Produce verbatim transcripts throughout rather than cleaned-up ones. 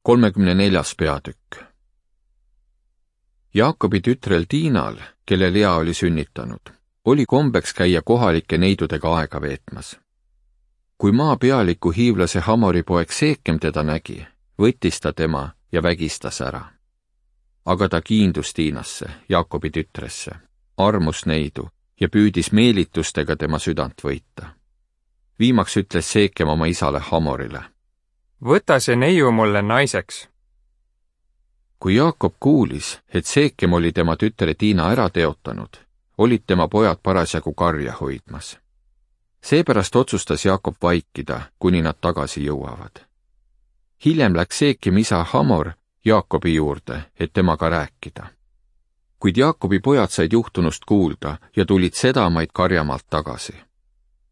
kolmekümne neljas peatükk. Jaakobi tütrel Diinal, kelle Lea oli sünnitanud, oli kombeks käia kohalike neidudega aega veetmas. Kui maa pealiku hiivlase Hamori poeg Seekem teda nägi, võttis ta tema ja vägistas ära. Aga ta kiindus Diinasse, Jaakobi tütresse, armus neidu ja püüdis meelitustega tema südant võita. Viimaks ütles Seekem oma isale Hamorile: võta see neiu mulle naiseks. Kui Jaakob kuulis, et Seekem oli tema tütre Diina ära teotanud, olid tema pojad parasjagu karja hoidmas. Seepärast otsustas Jaakob vaikida, kuni nad tagasi jõuavad. Hiljem läks Seekem isa Hamor Jaakobi juurde, et temaga rääkida. Kuid Jaakobi pojad said juhtunust kuulda ja tulid sedamaid karjamaalt tagasi.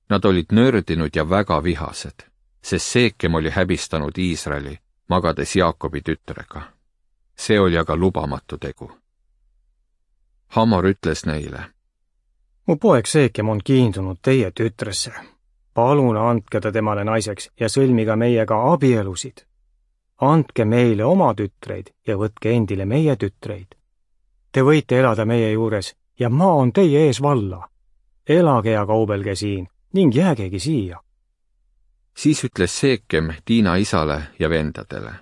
Nad olid nördinud ja väga vihased, sest Seekem oli häbistanud Iisraeli, magades Jaakobi tütrega. See oli aga lubamatu tegu. Hamor ütles neile: mu poeg Seekem on kiindunud teie tütresse. Palun andke ta temale naiseks ja sõlmiga meiega abielusid. Andke meile oma tütreid ja võtke endile meie tütreid. Te võite elada meie juures ja maa on teie ees valla. Elage ja kaubelge siin ning jäägegi siia. Siis ütles Seekem Diina isale ja vendadele: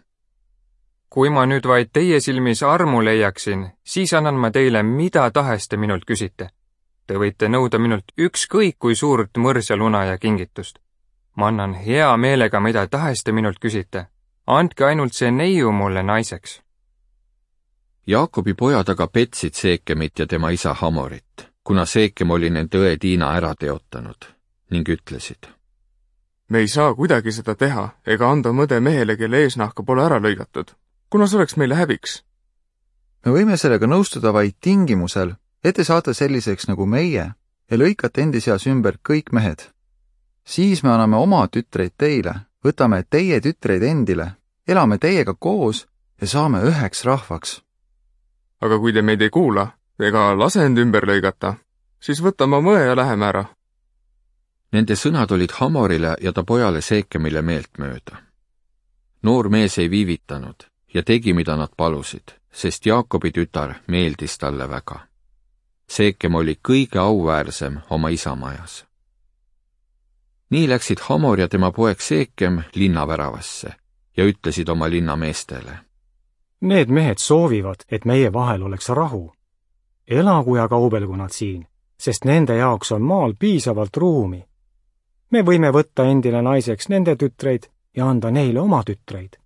kui ma nüüd vaid teie silmis armu leiaksin, siis annan ma teile mida tahes te minult küsite. Te võite nõuda minult ükskõik kui suurt mõrs ja luna ja kingitust. Ma annan hea meelega mida tahes te minult küsite. Andke ainult see neiu mulle naiseks. Jaakobi pojad aga petsid Seekemit ja tema isa Hamorit, kuna Seekem oli nende õe Diina ära teotanud, ning ütlesid: me ei saa kuidagi seda teha ega anda mõde mehele, kelle eesnahka pole ära lõigatud, kuna see oleks meile häbiks. me võime sellega nõustuda vaid tingimusel, et te saate selliseks nagu meie ja lõikate endi seas ümber kõik mehed. Siis me anname oma tütreid teile, võtame teie tütreid endile, elame teiega koos ja saame üheks rahvaks. Aga kui te meid ei kuula ega lase end ümber lõigata, siis võtame oma õe ja läheme ära. Nende sõnad olid Hamorile ja ta pojale Seekemile meeltmööda. Noor mees ei viivitanud ja tegi, mida nad palusid, sest Jaakobi tütar meeldis talle väga. Seekem oli kõige auväärsem oma isamajas. Nii läksid Hamor ja tema poeg Seekem linnaväravasse ja ütlesid oma linnameestele: need mehed soovivad, et meie vahel oleks rahu. Elagu ja kaubelgu nad siin, sest nende jaoks on maal piisavalt ruumi. Me võime võtta endile naiseks nende tütreid ja anda neile oma tütreid.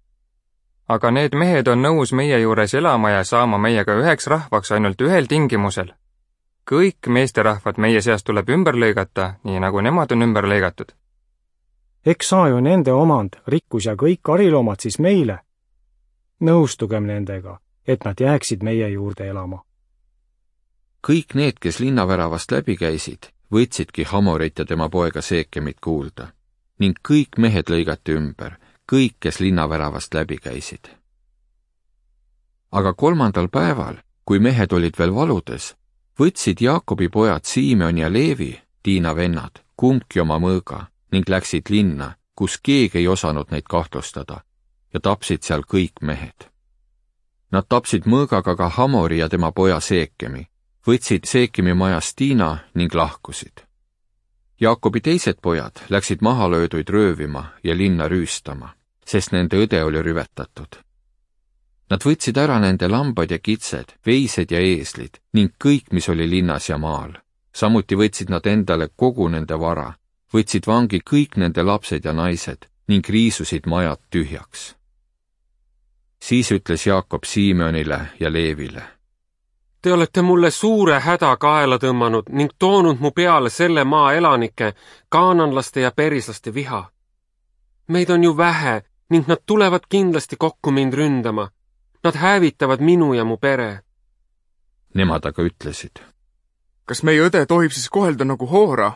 Aga need mehed on nõus meie juures elama ja saama meiega üheks rahvaks ainult ühel tingimusel. Kõik meesterahvad meie seast tuleb ümber lõigata, nii nagu nemad on ümber lõigatud. Eks saa ju nende omand, rikkus ja kõik kariloomad siis meile. Nõustugem nendega, et nad jääksid meie juurde elama. Kõik need, kes linnaväravast läbi käisid, võtsidki Hamorit ja tema poega Seekemit kuulda, ning kõik mehed lõigati ümber, kõik, kes linnaväravast läbi käisid. Aga kolmandal päeval, kui mehed olid veel valudes, võtsid Jaakobi pojad Simeon ja Leevi, Diina vennad, kumbki oma mõõga ning läksid linna, kus keegi ei osanud neid kahtlustada, ja tapsid seal kõik mehed. Nad tapsid mõõgaga ka Hamori ja tema poja Seekemi, võtsid Seekemi majast Diina ning lahkusid. Jaakobi teised pojad läksid mahalööduid röövima ja linna rüüstama, sest nende õde oli rüvetatud. Nad võtsid ära nende lambad ja kitsed, veised ja eeslid ning kõik, mis oli linnas ja maal. Samuti võtsid nad endale kogu nende vara, võtsid vangi kõik nende lapsed ja naised ning riisusid majad tühjaks. Siis ütles Jaakob Simeonile ja Leevile: te olete mulle suure häda kaela tõmmanud ning toonud mu peale selle maa elanike, kaananlaste ja perislaste viha. Meid on ju vähe ning nad tulevad kindlasti kokku mind ründama. Nad hävitavad minu ja mu pere. Nemad aga ütlesid: kas meie õde tohib siis kohelda nagu hoora?